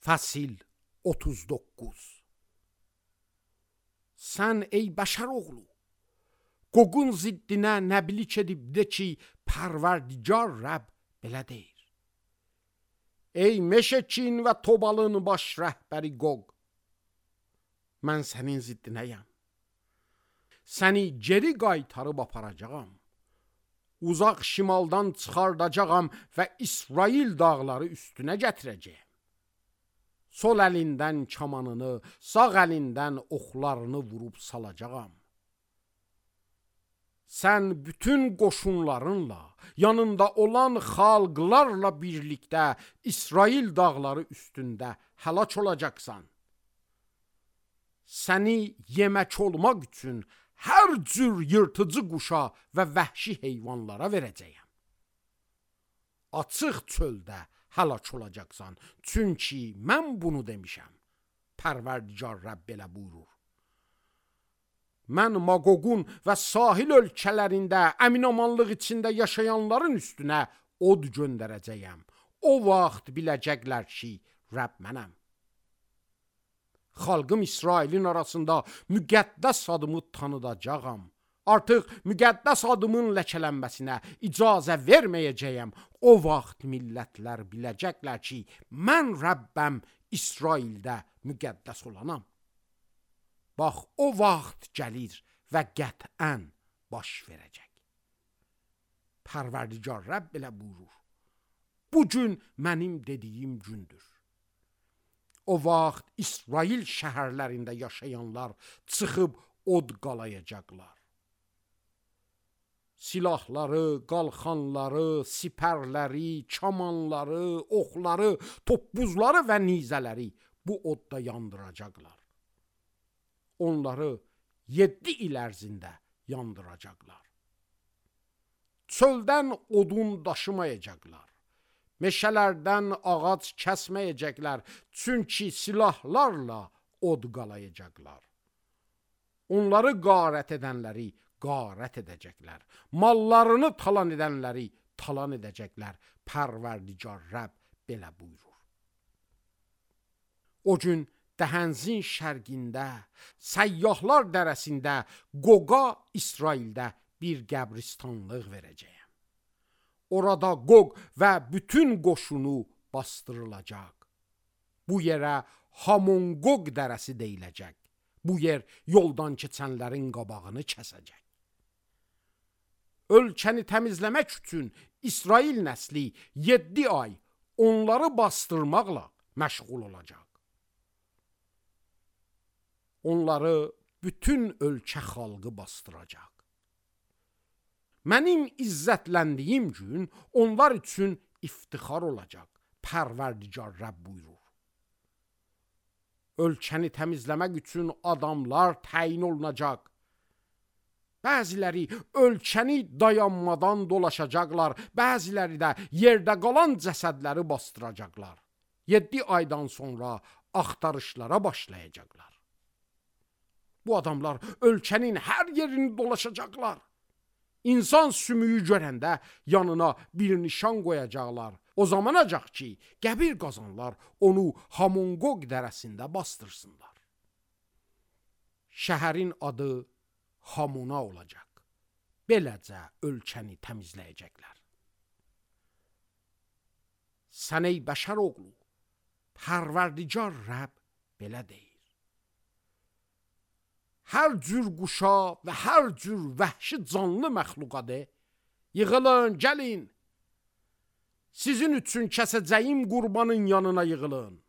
Fəsil 39. Sən ey bəşər oğlu, Qoqun ziddinə nəbilik edib de ki, Pərverdigar Rəbb belə deyir. Ey Meşekin və Tobalın baş rəhbəri Qoq, mən sənin ziddinəyəm. Səni geri qaytarıb aparacağam. Uzaq şimaldan çıxardacağam və İsrail dağları üstünə gətirəcəyəm. Sol əlindən kamanını, sağ əlindən oxlarını vurub salacağam. Sən bütün qoşunlarınla, yanında olan xalqlarla birlikdə İsrail dağları üstündə həlak olacaqsan. Səni yemək olmaq üçün hər cür yırtıcı quşa və vəhşi heyvanlara verəcəyəm. Açıq çöldə həlak olacaqsan, çünki mən bunu demişəm. Pərverdigar Rəbb belə buyurur. Mən Maqoqun və sahil ölkələrində əminamanlıq içində yaşayanların üstünə od göndərəcəyəm. O vaxt biləcəklər ki, Rəbb mənəm. Xalqım İsrailin arasında müqəddəs adımı tanıdacağam. Artıq müqəddəs adımın ləkələnməsinə icazə verməyəcəyəm. O vaxt millətlər biləcəklər ki, mən Rəbbəm İsraildə müqəddəs olanam. Bax, o vaxt gəlir və qətən baş verəcək. Pərverdigar Rəbb belə buyurur. Bu gün mənim dediyim gündür. O vaxt İsrail şəhərlərində yaşayanlar çıxıb od qalayacaqlar. Silahları, qalxanları, sipərləri, kamanları, oxları, toppuzları və nizələri bu odda yandıracaqlar. Onları 7 il ərzində yandıracaqlar. Çöldən odun daşımayacaqlar. Meşələrdən ağac kəsməyəcəklər, çünki silahlarla od qalayacaqlar. Onları qarət edənləri qarət edəcəklər. Mallarını talan edənləri talan edəcəklər. Pərverdigar Rəbb belə buyurur. O gün Dəhənzin şərqində, Səyyahlar dərəsində, Qoqa İsraildə bir qəbristanlıq verəcəyəm. Orada Qoq və bütün qoşunu bastırılacaq. Bu yerə Hamon-Qoq dərəsi deyiləcək. Bu yer yoldan keçənlərin qabağını kəsəcək. Ölkəni təmizləmək üçün İsrail nəsli 7 ay onları bastırmaqla məşğul olacaq. Onları bütün ölkə xalqı bastıracaq. Mənim izzətləndiyim gün onlar üçün iftixar olacaq. Pərverdigar Rəbb buyurur. Ölkəni təmizləmək üçün adamlar təyin olunacaq. Bəziləri ölkəni dayanmadan dolaşacaqlar, bəziləri də yerdə qalan cəsədləri bastıracaqlar. 7 aydan sonra axtarışlara başlayacaqlar. Bu adamlar ölkənin hər yerini dolaşacaqlar. İnsan sümüyü görəndə yanına bir nişan qoyacaqlar. O zamanacaq ki, qəbir qazanlar onu Hamon-Qoq dərəsində bastırsınlar. Şəhərin adı Hamona olacaq. Beləcə ölkəni təmizləyəcəklər. Sən ey bəşər oğlu, Pərverdigar Rəbb belə deyir. Hər cür quşa və hər cür vəhşi canlı məxluqadır. Yığılın, gəlin. Sizin üçün kəsəcəyim qurbanın yanına yığılın.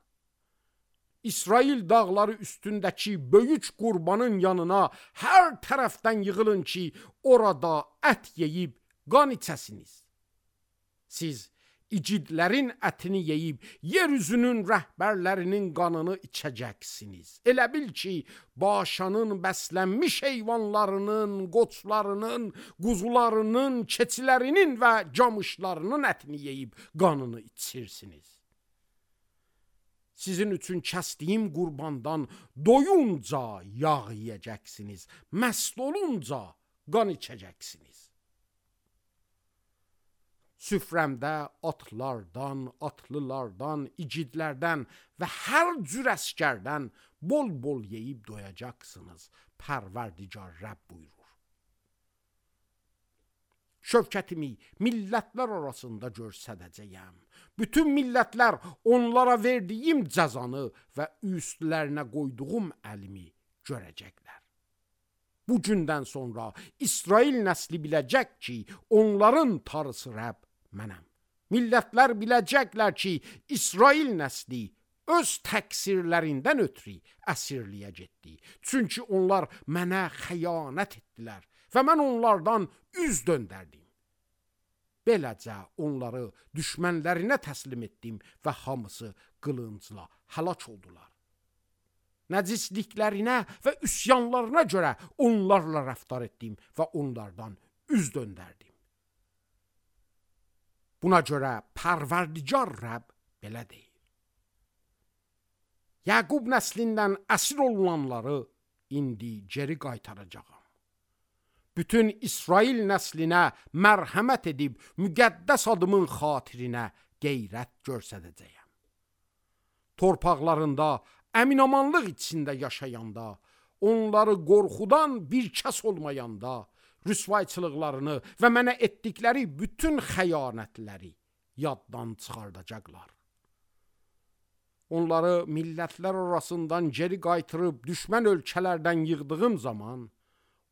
İsrail dağları üstündəki böyük qurbanın yanına hər tərəfdən yığılın ki, orada ət yeyib qan içəsiniz. Siz icidlərin ətini yeyib, yeryüzünün rəhbərlərinin qanını içəcəksiniz. Elə bil ki, Başanın bəslənmiş heyvanlarının, qoçlarının, quzularının, keçilərinin və camışlarının ətini yeyib qanını içirsiniz. Sizin üçün kəsdiyim qurbandan doyunca yağ yeyəcəksiniz, məst olunca qan içəcəksiniz. Süfrəmdə atlardan, atlılardan, igidlərdən və hər cür əskərdən bol-bol yeyib doyacaqsınız. Pərverdigar Rəbb buyurur. Şövkətimi millətlər arasında göstərəcəyəm. Bütün millətlər onlara verdiyim cəzanı və üstlərinə qoyduğum əlimi görəcəklər. Bu gündən sonra İsrail nəsli biləcək ki, onların tarısı Rəbb mənəm. Millətlər biləcəklər ki, İsrail nəsli öz təqsirlərindən ötürü əsirliyə getdi. Çünki onlar mənə xəyanət etdilər və mən onlardan üz döndərdim. Beləcə onları düşmənlərinə təslim etdim və hamısı qılıncla həlak oldular. Nəcisliklərinə və üsyanlarına görə onlarla rəftar etdim və onlardan üz döndərdim. Buna görə Pərverdigar Rəbb belə deyir. Yaqub nəslindən əsir olunanları indi geri qaytaracağam. Bütün İsrail nəslinə mərhəmət edib müqəddəs adımın xatirinə qeyrət göstərəcəyəm. Torpaqlarında əminamanlıq içində yaşayanda, onları qorxudan bir kəs olmayanda, rüsvayçılıqlarını və mənə etdikləri bütün xəyanətləri yaddan çıxardacaqlar. Onları millətlər arasından geri qaytırıb düşmən ölkələrdən yığdığım zaman,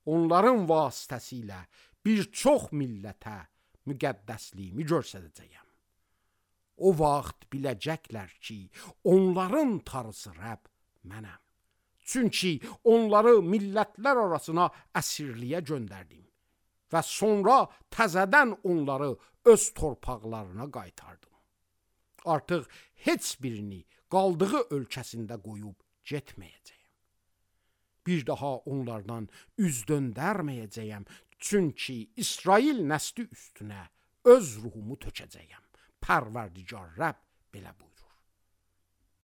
onların vasitəsilə bir çox millətə müqəddəsliyimi göstərəcəyəm. O vaxt biləcəklər ki, onların tarısı Rəbb mənəm. Çünki onları millətlər arasına əsirliyə göndərdim və sonra təzədən onları öz torpaqlarına qaytardım. Artıq heç birini qaldığı ölkəsində qoyub getməyəcəyəm. Bir daha onlardan üz döndərməyəcəyəm, çünki İsrail nəsli üstünə öz ruhumu tökəcəyəm. Pərverdigar Rəbb belə buyurur.